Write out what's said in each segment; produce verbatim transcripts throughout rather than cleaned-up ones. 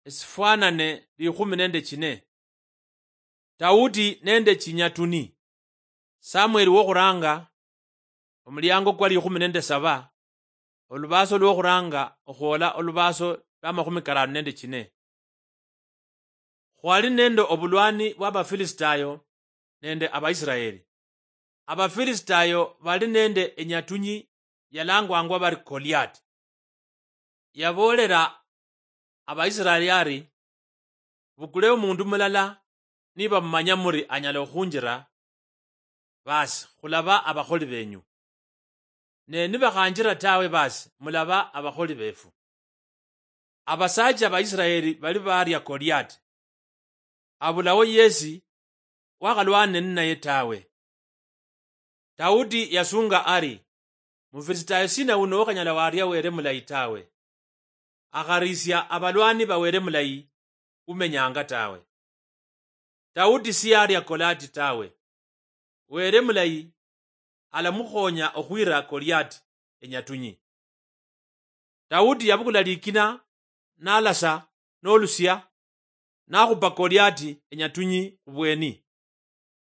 esifwanane likhumi nende chine. Daudi nende chinyatuni. Samweli wokhuranga, omuliango kwa likhumi nende saba, olubaso lwokhuranga okhwola olubaso lwa makhumi karano nende chine. Khwali nende obulwani bwa Abafilisitayo nende Abaisiraeli. Abafilisitayo bali nende enyatunyi yalangwangwa bari Goliati. Yaboolera Abaisiraeli ari, "Bukule omundu mulala, niba mumanya muri anyala okhunjira, basi khulaba abakholi benyu. Ne nibakhanjira tawe, basi mulaba abakholi befu." Abasaacha ba Isiraeli bali baaria Goliati. Abulaho yesi wakhalwana ninaye tawe. Daudi yasunga ari, "Mufilisitayo sina uno okhanyala waria Were mulayi tawe? Akharisia abalwani ba Were mulayi umenyanga tawe." Daudi siyaria Goliati tawe. Were mulayi alamukhonya okhwira Goliati enyatunyi. Daudi yabukula likina, nalasa nolusia, nakhupa Goliati enyatunyi khubweni.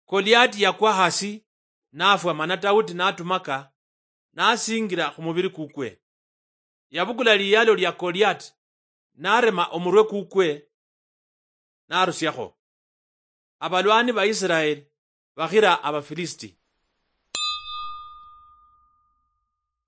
Goliati yakwa hasi, nafwa, mana Daudi natumaka, nasingira khumubiri kukwe. Yabukula liyalo lia Goliati, narema omurwe kukwe, narusiakho. Abalwani ba Isiraeli bakhira Abafilisiti.